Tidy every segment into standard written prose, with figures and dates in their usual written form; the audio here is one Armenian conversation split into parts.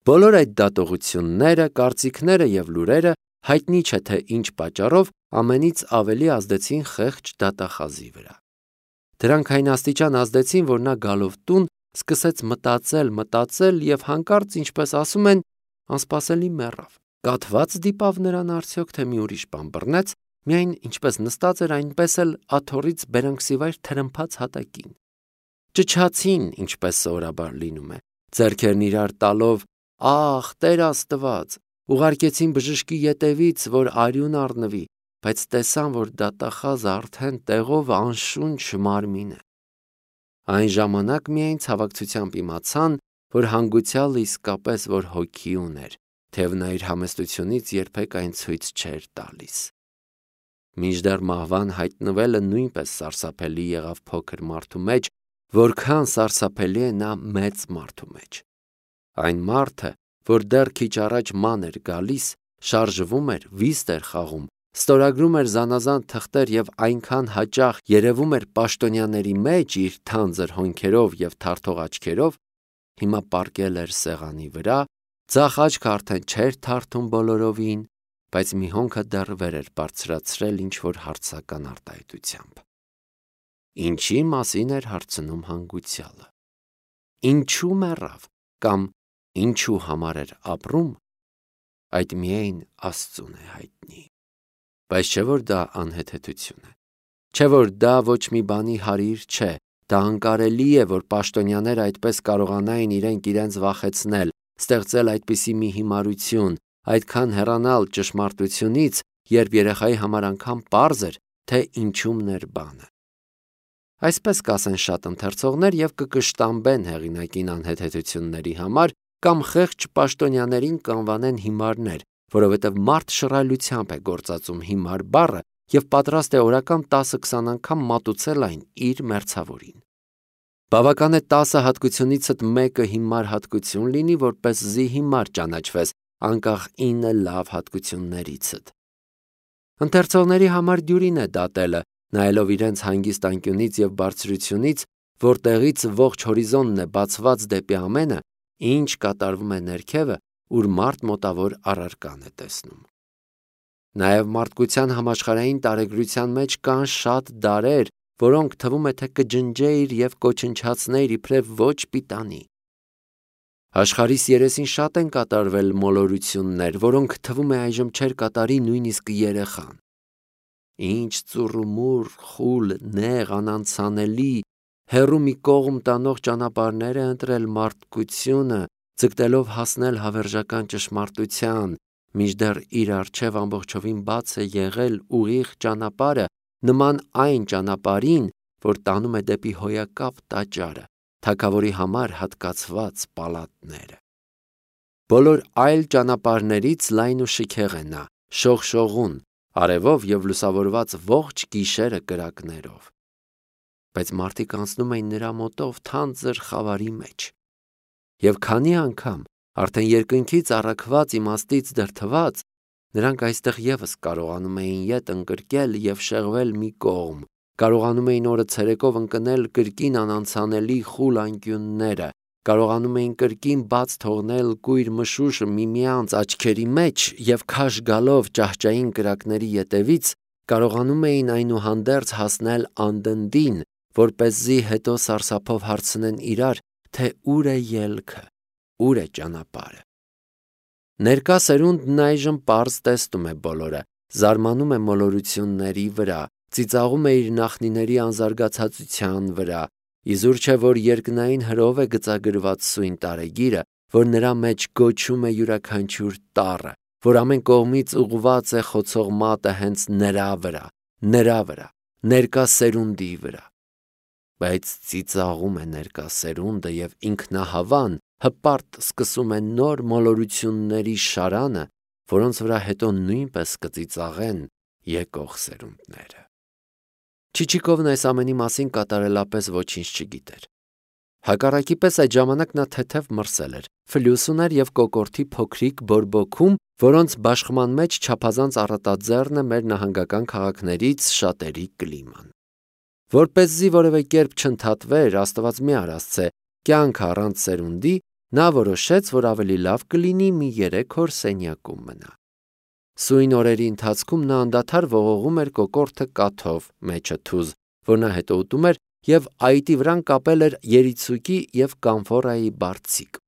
Բոլոր այդ դատողությունները, կարծիքները և լուրերը հայտնի չէ թե ինչ պատճառով ամենից ավելի ազդեցին խեղճ դատախազի վրա։ Դրանք այն աստիճան ազդեցին, որ նա գալով տուն սկսեց մտածել և հանկարծ, ինչպես ասում են, անսպասելի մեռավ։ Կաթված դիպավ նրան արդյոք, թե մի ուրիշ բան բռնեց, միայն ինչպես նստած էր, այնպես էլ աթոռից բերանքսիվայր թրմփաց հատակին։ Ճչացին, ինչպես սովորաբար լինում է, ձեռքերն իրար տալով, աղ, Տեր Աստված, ուղարկեցին բժշկի ետևից, որ արյուն առնվի, բայց տեսան, որ դատախազը արդեն տեղով անշունչ մարմին է։ Այն ժամանակ միայն ցավակցությամբ իմացան, որ հանգուցյալը իսկապես որ հոգի ուներ, թեև նա իր համեստությունից երբեք այն ցույց չէր տալիս։ Մինչդեռ մահվան հայտնվելը նույնպես սարսափելի եղավ փոքր մարդու մեջ, որքան սարսափելի է նա մեծ մարդու մեջ։ Այն մարդը, որ դեռ քիչ առաջ ման էր գալիս, շարժվում էր, վիստ էր խաղում, ստորագրում էր զանազան թղթեր և այնքան հաճախ երևում էր պաշտոնյաների մեջ իր թանձր հոնքերով և թարթող աչքերով, հիմա պառկել էր սեղանի վրա, ձախ աչքը արդեն չէր թարթում բոլորովին, բայց մի հոնքը դեռ վեր էր բարձրացրել ինչ-որ հարցական արտահայտությամբ։ Ինչի մասին էր հարցնում հանգուցյալը։ Ինչու մեռավ կամ ինչու համար էր ապրում, այդ միայն Աստծուն է հայտնի։ Բայց չէ որ դա անհեթեթություն է, չէ որ դա ոչ մի բանի հարիր չէ, դա անկարելի է, որ պաշտոնյաները այդպես կարողանային իրենց վախեցնել, ստեղծել այդպիսի մի հիմարություն, այդքան հեռանալ ճշմարտությունից, երբ երեխայի համար անգամ պարզ էր, թե ինչումն էր բանը։ Այսպես կասեն շատ ընթերցողներ և կկշտամբեն հեղինակին անհեթեթությունների համար կամ խեղճ պաշտոնյաներին կանվանեն հիմարներ, որովհետև մարդ շռայլությամբ է գործածում հիմար բառը և պատրաստ է օրական 10-20 անգամ մատուցել այն իր մերձավորին։ Բավական է 10 հատկությունիցդ մեկը հիմար հատկություն լինի, որպեսզի հիմար ճանաչվես, անկախ 9 լավ հատկություններիցդ։ Ընթերցողների համար դյուրին է դատելը, նայելով իրենց հանգիստ անկյունից և բարձրությունից, որտեղից ողջ հորիզոնն է բացված դեպի ամենը, ինչ կատարվում է ներքևը, ուր մարդ մոտավոր առարկան է տեսնում։ Նաև մարդկության համաշխարհային տարեգրության մեջ կան շատ դարեր, որոնք թվում է թե կջնջեիր և կոչնչացնեիր իբրև ոչ պիտանի։ Աշխարհիս երեսին շատ են կատարվել մոլորություններ, որոնք թվում է այժմ չէր կատարի նույնիսկ երեխան։ Ինչ ծուռումուռ, խուլ, նեղ, անանցանելի, հեռու մի կողմ տանող ճանապարհներ է ընտրել մարդկությունը, ձգտելով հասնել հավերժական ճշմարտության, մինչդեռ իր առջև ամբողջովին բաց է եղել ուղիղ ճանապարհը, նման այն ճանապարհին, որ տանում է դեպի հոյակապ տաճարը, թագավորի համար հատկացված պալատները։ Բոլոր այլ ճանապարհներից լայն ու շքեղ է նա, շողշողուն, արևով և լուսավորված ողջ գիշերը կրակներով։ Բայց մարդիկ անցնում էին նրա մոտով թանձր խավարի մեջ։ Եվ քանի անգամ, արդեն երկնքից առաքված իմաստից դրդված, նրանք այստեղ ևս կարողանում էին ետ ընկրկել և շեղվել մի կողմ, կարողանում էին օրը ցերեկով ընկնել կրկին անանցանելի խուլ անկյունները, կարողանում էին կրկին բաց թողնել կույր մշուշը միմյանց աչքերի մեջ և քաշ գալով ճահճային կրակների ետևից, կարողանում էին այնուհանդերձ հասնել անդնդին, որպեսզի հետո սարսափով հարցնեն իրար, թե ուր է ելքը, ուր է ճանապարհը։ Ներկա սերունդն այժմ պարզ տեսնում է բոլորը, զարմանում է մոլորությունների վրա, ծիծաղում է իր նախնիների անզարգացածության վրա, իզուր չէ, որ երկնային հրով է գծագրված սույն տարեգիրը, որ նրա մեջ գոչում է յուրաքանչյուր տառը, որ ամեն կողմից ուղղված է խոցող մատը հենց նրա վրա, ներկա սերունդի վրա։ Բայց ծիծաղում է ներկա սերունդը և ինքնահավան, հպարտ սկսում է նոր մոլորությունների շարանը, որոնց վրա հետո նույնպես կծիծաղեն եկող սերունդները։ Չիչիկովն այս ամենի մասին կատարելապես ոչինչ չգիտեր։ Հակառակի պես այդ ժամանակ նա թեթև մրսել էր, ֆլյուս ուներ և կոկորդի փոքրիկ բորբոքում, որոնց բաշխման մեջ չափազանց առատաձեռն է մեր նահանգական քաղաքներից շատերի կլիման։ Որպեսզի որևէ կերպ չընդհատվեր, Աստված մի արասցե, կյանք առանց սերունդի, նա որոշեց, որ ավելի լավ կլինի մի 3 օր սենյակում մնա։ Սույն օրերի ընթացքում նա անդադար ողողում էր կոկորդը կաթով, մեջը թուզ, որ նա հետո ուտում էր, և այտի վրան կապել էր երիցուկի և կամֆորայի բարձիկ։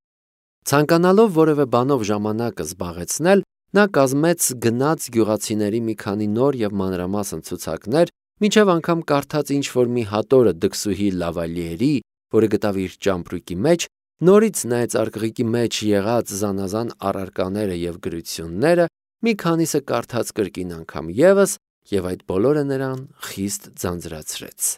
Ցանկանալով որևէ բանով ժամանակը զբաղեցնել, նա կազմեց գնաց գյուղացիների մի քանի նոր և մանրամասն ցուցակներ, մինչև անգամ կարդաց ինչ-որ մի հատորը դքսուհի Լավալիերի, որը գտավ իր ճամպրուկի մեջ, նորից նայեց արկղիկի մեջ եղած զանազան առարկաները և գրությունները, մի քանիսը կարդաց կրկին անգամ ևս, և այդ բոլորը նրան խիստ ձանձրացրեց։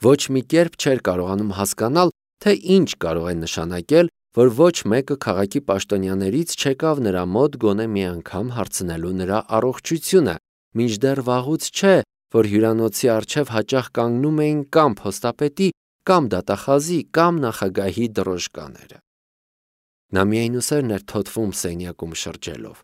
Ոչ մի կերպ չէր կարողանում հասկանալ, թե ինչ կարող է նշանակել, որ ոչ մեկը քաղաքի պաշտոնյաներից չեկավ նրա մոտ գոնե մի անգամ հարցնելու նրա առողջությունը, մինչդեռ վաղուց չէ, որ հյուրանոցի առջև հաճախ կանգնում էին կամ փոստապետի, կամ դատախազի, կամ նախագահի դրոշկաները։ Նա միայնուսերն էր թոթվում սենյակում շրջելով։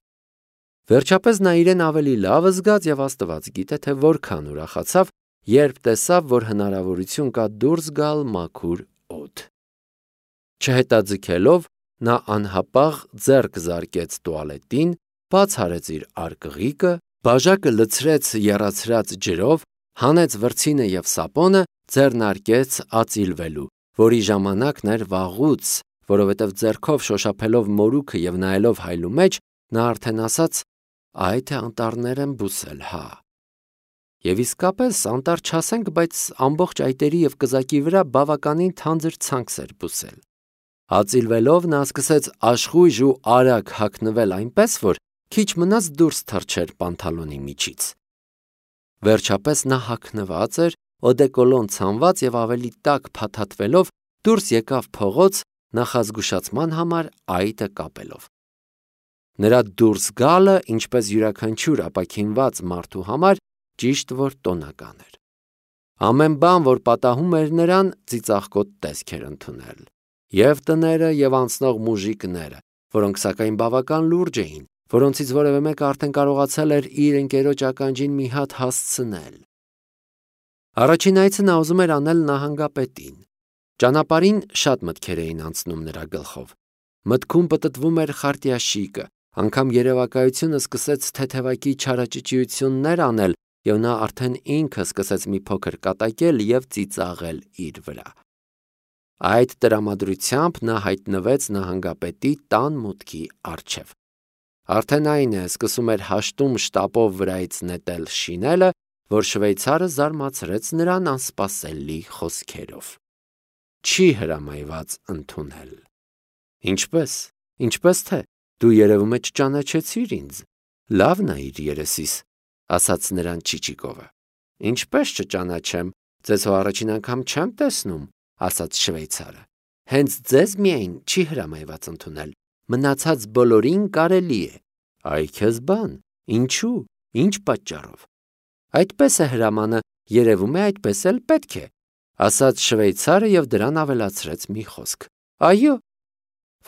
Վերջապես նա իրեն ավելի լավ զգաց և Աստված գիտե, թե որքան ուրախացավ, երբ տեսավ, որ հնարավորություն կա դուրս գալ մաքուր օդ։ Չհետաձգելով, նա անհապաղ ձեռք զարկեց տուալետին, բաց արեց իր արկղիկը, բաժակը լցրեց եռացրած ջրով, հանեց վրձինը և սապոնը, ձեռնարկեց ածիլվելու, որի ժամանակն էր վաղուց, որովհետև ձեռքով շոշափելով մորուքը և նայելով հայլու մեջ, նա արդեն ասաց. «Այ թե անտառներ եմ բուսել, հա»։ Եվ իսկապես անտառ չասենք, բայց ամբողջ այտերի և կզակի վրա բավականին թանձր ցանքս էր բուսել։ Ածիլվելով նա սկսեց աշխույժ ու արագ հագնվել այնպես, որ քիչ մնաց դուրս թռչեր պանթալոնի միջից։ Վերջապես նա հագնված էր, օդեկոլոն ցանված և ավելի տաք փաթաթվելով դուրս եկավ փողոց նախազգուշացման համար այտը կապելով։ Նրա դուրս գալը, ինչպես յուրաքանչյուր ապաքինված մարդու համար, ճիշտ որ տոնական էր։ Ամեն բան, որ պատահում էր նրան, ծիծաղկոտ տեսք էր ընդունել։ Եվ տները, և անցնող մուժիկները, որոնք սակայն բավական լուրջ էին, որոնցից որևէ մեկը արդեն կարողացել էր իր ընկերոջ ականջին մի հատ հասցնել։ Առաջին այցը նա ուզում էր անել նահանգապետին։ Ճանապարհին շատ մտքեր էին անցնում նրա գլխով։ Մտքում պտտվում էր Խարտյաշիկը, անգամ երևակայությունը սկսեց թեթևակի չարաճճիություններ անել, և նա արդեն ինքը սկսեց մի փոքր կատակել և ծիծաղել իր վրա։ Այդ տրամադրությամբ նա հայտնվեց նահանգապետի տան մուտքի առջև։ Արդեն այն է, սկսում էր հաշտում շտապով վրայից նետել շինելը, որ շվեյցարը զարմացրեց նրան անսպասելի խոսքերով։ Չի հրամայված ընդունել։ Ինչպես թե, դու երևում է չճանաչեցիր ինձ, լավ նայիր երեսիս, ասաց նրան Չիչիկովը։ Ինչպես չճանաչեմ, ձեզ հո առաջին անգամ չեմ տեսնում, ասաց շվեյցարը։ Հենց ձեզ միայն չի հրամայված ընդունել, մնացած բոլորին կարելի է։ Այ քեզ բան, ինչու, ինչ պատճառով։ Այդպես է հրամանը, երևում է այդպես էլ պետք է, ասաց շվեյցարը և դրան ավելացրեց մի խոսք։ Այո,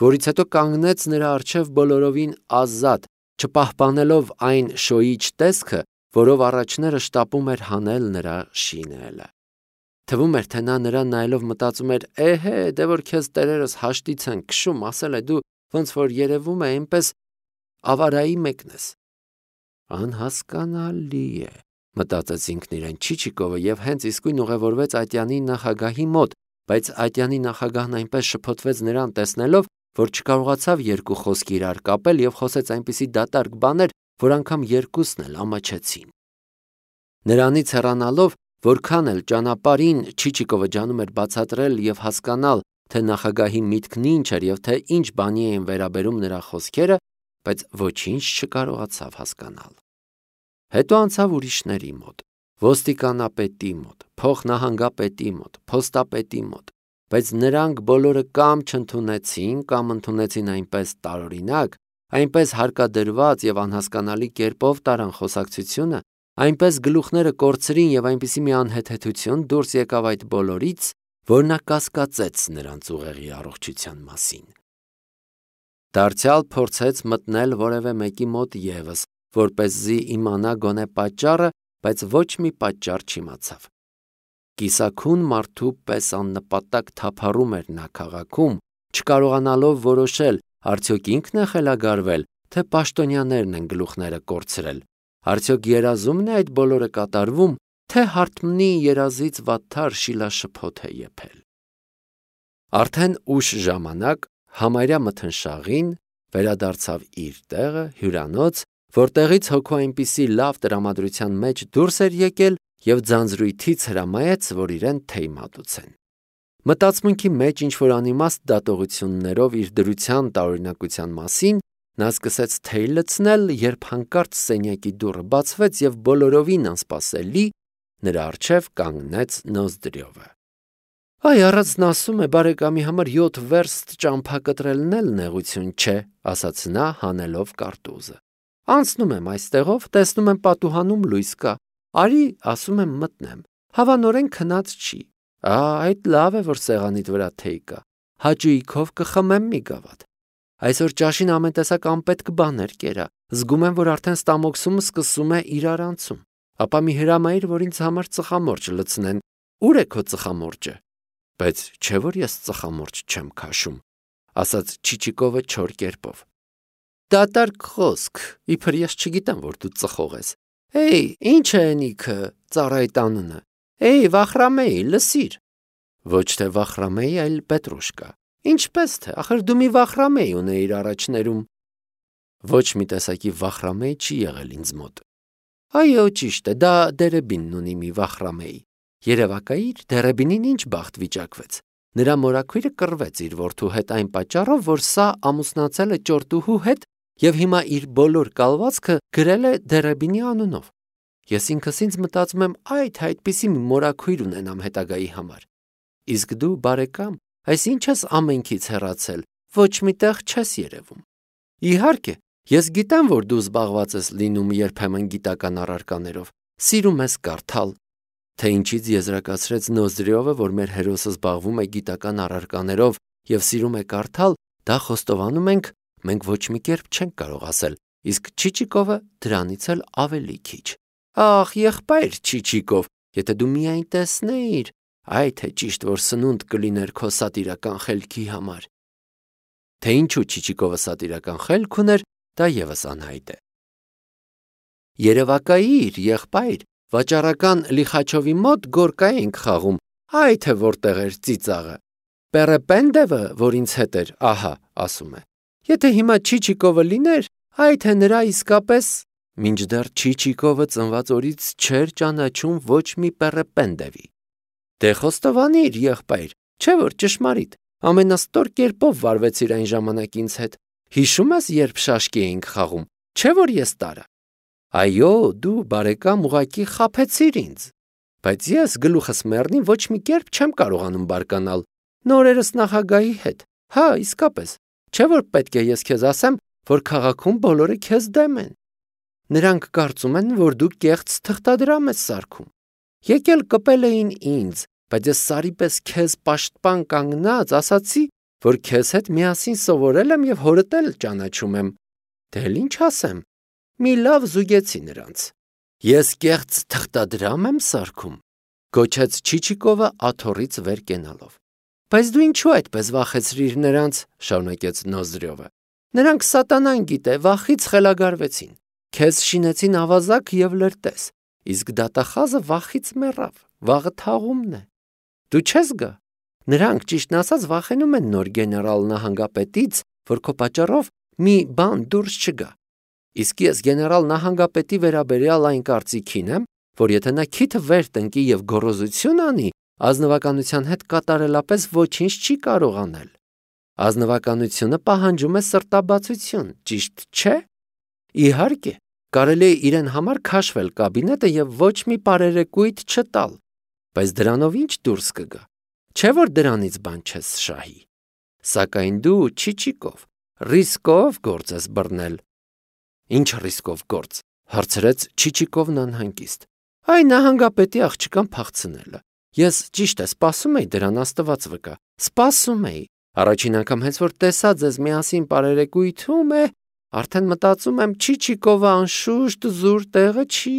որից հետո կանգնեց նրա առջև բոլորովին ազատ, չպահպանելով այն շոյիչ տեսքը, որով առաջները շտապում էր հանել նրա շինելը։ Թվում էր, թե նա նրան նայելով մտածում էր. «Էհե, դե որ քեզ տերերս հաշտից են քշում, ասել է դու ոնց որ երևում է այնպես ավարայի մեկն ես»։ Անհասկանալի է, մտածեց ինքն իրեն Չիչիկովը և հենց իսկույն ուղևորվեց Ատյանի նախագահի մոտ, բայց Ատյանի նախագահն այնպես շփոթվեց նրան տեսնելով, որ չկարողացավ երկու խոսք իրար կապել և խոսեց այնպիսի դատարկ բաներ, որ անգամ երկուսն էլ ամաչեցին։ Նրանից հեռանալով, որքան էլ ճանապարհին Չիչիկովը ջանում էր բացատրել և հասկանալ, թե նախագահի միտքն ինչ էր և թե ինչ բանի էին վերաբերում նրա խոսքերը, բայց ոչինչ չկարողացավ հասկանալ։ Հետո անցավ ուրիշների մոտ, ոստիկանապետի մոտ, փոխնահանգապետի մոտ, փոստապետի մոտ, բայց նրանք բոլորը կամ չընդունեցին, կամ ընդունեցին այնպես տարօրինակ, այնպես հարկադրված և անհասկանալի կերպով տարան խոսակցությունը, այնպես գլուխները կորցրին և այնպիսի մի անհեթեթություն դուրս եկավ այդ բոլորից, որ նա կասկածեց նրանց ուղեղի առողջության մասին։ Դարձյալ փորձեց մտնել որևէ մեկի մոտ ևս, որպեսզի իմանա գոնե պատճառը, բայց ոչ մի պատճառ չիմացավ։ Կիսաքուն մարդու պես աննպատակ թափառում էր նա քաղաքում, չկարողանալով որոշել, արդյոք ինքն է խելագարվել, թե պաշտոնյաներն են գլուխները կորցրել, արդյոք երազումն է այդ բոլորը կատարվում, թե հարթմնի երազից վատթար շիլաշփոթ է եփել։ Արդեն ուշ ժամանակ համարյա մթնշաղին վերադարձավ իր տեղը, հյուրանոց, որտեղից հոգու այնպիսի լավ տրամադրության մեջ դուրս էր եկել և ձանձրույթից հրամայեց, որ իրեն թեյ մատուցեն։ Մտածմունքի մեջ ինչ-որ անիմաստ դատողություններով իր դրության տարօրինակության մասին նա սկսեց թեյ լցնել, երբ հանկարծ սենյակի դուռը բացվեց և բոլորովին անսպասելի նրա առջև կանգնեց Նոզդրյովը։ «Այ, առածն ասում է, բարեկամի համար 7 վերստ ճամփա կտրելն էլ նեղություն չէ», ասաց նա, հանելով կարտուզը։ «Անցնում եմ այստեղով, տեսնում եմ պատուհանում լույս կա, արի, ասում եմ, մտնեմ, հավանորեն քնած չի։ Այդ լավ է, որ սեղանիդ վրա թեյ կա, հաճույքով կխմեմ մի գավաթ։ Այսօր ճաշին ամեն տեսակ անպետք բաներ կերա, զգում եմ, որ արդեն ստամոքսումս սկսում է իրար անցում։ Ապա մի հրամայիր, որ ինձ համար ծխամորճ լցնեն։ Ուր է քո ծխամորճը»։ «Բայց չէ՞ որ ես ծխամորճ չեմ քաշում», ասաց Չիչիկովը չոր կերպով։ «Դատարկ խոսք, իբր ես չգիտեմ, որ դու ծխող ես։ Ինչ է էնիքը, ծառայիդ անունը։ Վախրամեի, լսիր»։ «Ոչ թե Վախրամեի, այլ Պետրուշկա։ Ինչպես թե, ախր դու մի Վախրամեի ունեիր առաջներում»։ «Ոչ մի տեսակի Վախրամեի չի եղել ինձ մոտ»։ «Այո, ճիշտ է, դա Դերեբինն ունի մի Վախրամեի։ Երևակայիր, Դերեբինին ինչ բախտ վիճակվեց։ Նրա մորաքույրը կռվեց իր որդու հետ այն պատճառով, որ սա ամուսնացել է ճորտուհու հետ և հիմա իր բոլոր կալվածքը գրել է Դերեբինի անունով։ Ես ինքս ինձ մտածում եմ, այդպիսի մի մորաքույր ունենամ հետագայի համար։ Իսկ դու, բարեկամ, այս ինչ ես ամենքից հեռացել, ոչ մի տեղ չես երևում։ Իհարկե, ես գիտեմ, որ դու զբաղված ես լինում երբեմն գիտական առարկաներով, սիրում ես կարդալ։ Թե ինչից եզրակացրեց Նոզդրյովը, որ մեր հերոսը զբաղվում է գիտական առարկաներով և սիրում է կարդալ, դա խոստովանում մենք ոչ մի կերպ չենք կարող ասել, իսկ Չիչիկովը դրանից էլ ավելի քիչ։ Ախ, եղբայր Չիչիկով, եթե դու միայն տեսնեիր, թե ճիշտ որ սնունդ կլիներ քո սատիրական խելքի համար։ Թե ինչու Չիչիկովը սատիրական խելք ուներ, դա ևս անհայտ է։ Երևակայիր, եղբայր, վաճառական Լիխաչովի մոտ գորկա էինք խաղում, թե որտեղ էր ծիծաղը։ Պերեպենդևը, որ ինձ հետ էր, ահա, ասում է։ Եթե հիմա Չիչիկովը լիներ, թե նրա իսկապես… Մինչդեռ Չիչիկովը ծնված օրից չէր ճանաչում ոչ մի Պերեպենդևի։ Դե խոստովանիր, եղբայր, չէ՞ որ ճշմարիտ, ամենաստոր կերպով վարվեցիր այն ժամանակ ինձ հետ։ Հիշում ես, երբ շաշկի էինք խաղում, չէ՞ որ ես տարա։ Այո, դու, բարեկամ, ուղղակի խաբեցիր ինձ։ Բայց ես գլուխս մեռնի ոչ մի կերպ չեմ կարողանում բարկանալ։ Նորերս նախագահի հետ։ Իսկապես, չէ՞ որ պետք է ես քեզ ասեմ, որ քաղաքում բոլորը քեզ դեմ են։ Նրանք կարծում են, որ դու կեղծ թղթադրամ ես սարքում։ Եկել կպել էին ինձ, բայց ես սարի պես քեզ պաշտպան կանգնած ասացի, որ քեզ հետ միասին սովորել եմ և հորդ էլ ճանաչում եմ։ Դե ինչ ասեմ, մի լավ զուգեցի նրանց։ Ես կեղծ թղթադրամ եմ սարքում, գոչեց Չիչիկովը աթոռից վեր կենալով։ Բայց դու ինչու այդպես վախեցրիր նրանց, շարունակեց Նոզդրյովը։ Նրանք սատանան գիտե, վախից խելագարվեցին։ Քեզ շինեցին ավազակ և լրտես, իսկ դատախազը վախից մեռավ, վաղը թաղումն է։ Դու չես գա։ Նրանք, ճիշտն ասած, վախենում են նոր գեներալ նահանգապետից, որ քո պատճառով մի բան դուրս չգա։ Իսկ ես գեներալ նահանգապետի վերաբերյալ այն կարծիքին եմ, որ եթե նա քիթը վեր տնկի և գոռոզություն անի, ազնվականության հետ կատարելապես ոչինչ չի կարող անել։ Ազնվականությունը պահանջում է սրտաբացություն, ճիշտ չէ։ Իհարկե, կարելի է իրեն համար քաշվել կաբինետը և ոչ մի պարերեկույթ չտալ, բայց դրանով ինչ դուրս կգա։ Չէ՞ որ դրանից բան չես շահի։ Սակայն դու, Չիչիկով, ռիսկով գործ ես բռնել։ Ինչ ռիսկով գործ, հարցրեց Չիչիկովն անհանգիստ։ Նահանգապետի աղջկան փախցնելը։ Ես ճիշտ է սպասում էի դրան, Աստված վկա, սպասում էի։ Առաջին անգամ հենց որ տեսա ձեզ միասին պարերեկույթում արդեն մտածում եմ Չիչիկովը անշուշտ զուր տեղը չի։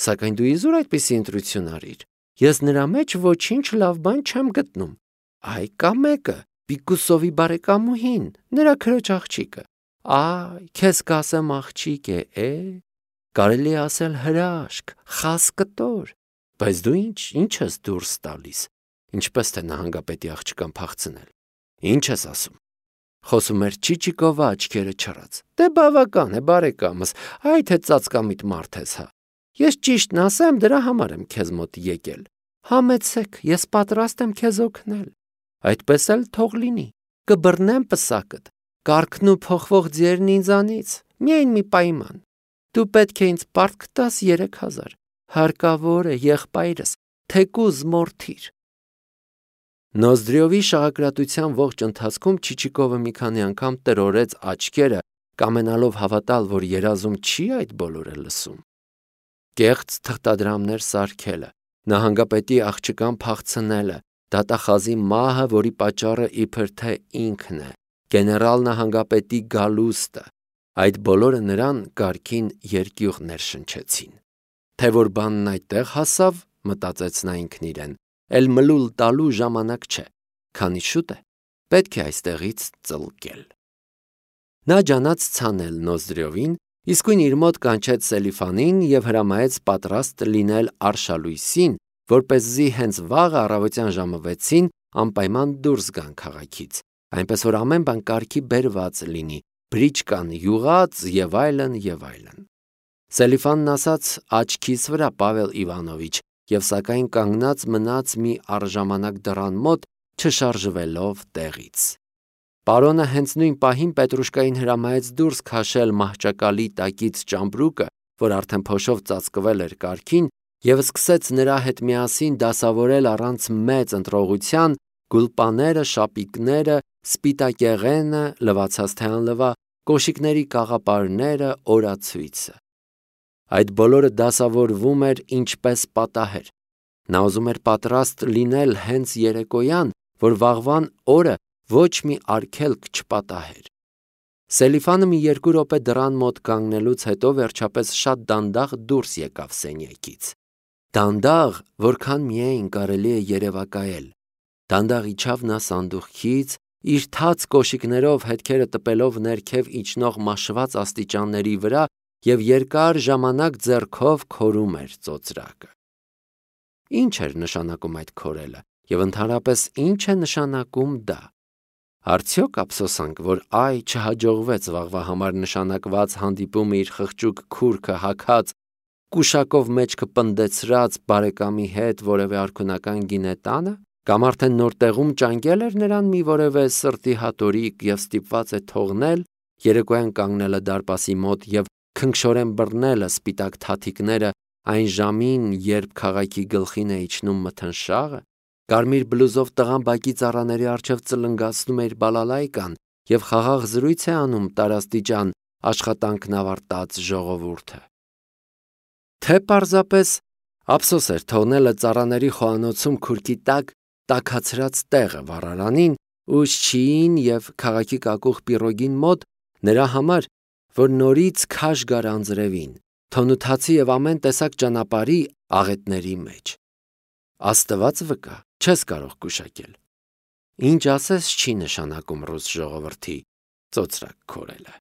Սակայն դու իզուր այդպիսի ընտրություն արիր։ Ես նրա մեջ ոչինչ լավ բան չեմ գտնում։ Կա մեկը, Պիկուսովի բարեկամուհին, նրա քրոջ աղջիկը։ Այ, քեզ կասեմ աղջիկ է, կարելի է ասել հրաշք, խաս կտոր, բայց դու ինչ ես դուրս տալիս, ինչպես թե նահանգապետի աղջկան փախցնել։ Ինչ ես ասում։ Խոսում էր Չիչիկովը աչքերը չռած։ Դե բավական է, բարեկամս, այ թե ծածկամիտ մարդ ես, հա։ Ես ճիշտն ասեմ, դրա համար եմ քեզ մոտ եկել։ Համեցեք, ես պատրաստ եմ քեզ օգնել։ Այդպես էլ թող լինի։ Կբռնեմ պսակդ, կառքն ու փոխվող ձիերն ինձանից, միայն մի պայման։ Դու պետք է ինձ պարտք տաս 3000, հարկավոր է եղբայրս, թեկուզ մորթիր։ Նոզդրյովի շաղակրատության ողջ ընթացքում Չիչիկովը մի քանի անգամ տրորեց աչքերը, կամենալով հավատալ, որ երազում չի այդ բոլորը լսում։ Կեղծ թղթադրամներ սարքելը, նահանգապետի աղջկան փախցնելը, դատախազի մահը, որի պատճառը իբր թե ինքն է, գեներալ նահանգապետի գալուստը, այդ բոլորը նրան կարգին երկյուղ ներշնչեցին։ Թե որ բանն այդտեղ հասավ, մտածեց նա ինքն իրեն, էլ մլուլ տալու ժամանակ չէ, քանի շուտ է, պետք է այստեղից ծլկել։ Նա ջանաց ցանել Նոզդրյովին, իսկույն իր մոտ կանչեց Սելիֆանին և հրամայեց պատրաստ լինել արշալույսին, որպեսզի հենց վաղ առավոտյան ժամը 6-ին անպայման դուրս գան քաղաքից, այնպես որ ամեն բան կարգի բերված լինի, բրիչկան յուղած և այլն և այլն։ Սելիֆանն ասաց աչքիս վրա, Պավել Իվանովիչ, և սակայն կանգնած մնաց մի առժամանակ դռան մոտ, չշարժվելով տեղից։ Պարոնը հենց նույն պահին Պետրուշկային հրամայեց դուրս քաշել մահճակալի տակից ճամպրուկը, որ արդեն փոշով ծածկվել էր կառքին, և սկսեց նրա հետ միասին դասավորել առանց մեծ ընտրողության գուլպաները, շապիկները, սպիտակեղենը, լվացած թե անլվա, կոշիկների կաղապարները, օրացույցը։ Այդ բոլորը դասավորվում էր ինչպես պատահեր։ Նա ուզում էր պատրաստ լինել հենց երեկոյան, որ վաղվան օրը ոչ մի արգելք չպատահեր։ Սելիֆանը մի 2 րոպե դռան մոտ կանգնելուց հետո վերջապես շատ դանդաղ դուրս եկավ սենյակից։ Դանդաղ, որքան միայն կարելի է երևակայել։ Դանդաղ իջավ նա սանդուղքից, իր թաց կոշիկներով հետքերը տպելով ներքև իջնող մաշված աստիճանների վրա և երկար ժամանակ ձեռքով քորում էր ծոծրակը։ Ինչ էր նշանակում այդ քորելը և ընդհանրապես ինչ է նշանակում դա։ Արդյոք ափսոսանք, որ չհաջողվեց վաղվա համար նշանակված հանդիպումը իր խղճուկ քուրքը հագած, կուշակով մեջքը պնդեցրած բարեկամի հետ որևէ արքունական գինե տանը, կամ արդեն նոր տեղում ճանկել էր նրան մի որևէ սրտի հատորիկ և ստիպված է թողնել, երեկոյան կանգնելը դարպասի մոտ և քնքշորեն բռնելը սպիտակ թաթիկները այն ժամին, երբ քաղաքի գլխին է իջնում մթնշաղը, կարմիր բլուզով տղան բակի ծառաների առջև ծլնգացնում է իր բալալայկան և խաղաղ զրույց է անում տարաստիճան աշխատանքն ավարտած ժողովուրդը։ Թե պարզապես ափսոս էր թողնելը ծառաների խոհանոցում քուրքի տակ տաքացրած տեղը վառարանին ու շչիին և քաղաքի կակուղ պիրոգին մոտ նրա համար, որ նորից քաշ գար անձրևին, թոնութացի և ամեն տեսակ ճանապարհի աղետների մեջ։ Աստված վկա, չես կարող գուշակել։ Ինչ ասես չի նշանակում ռուս ժողովրդի ծոծրակ քորելը։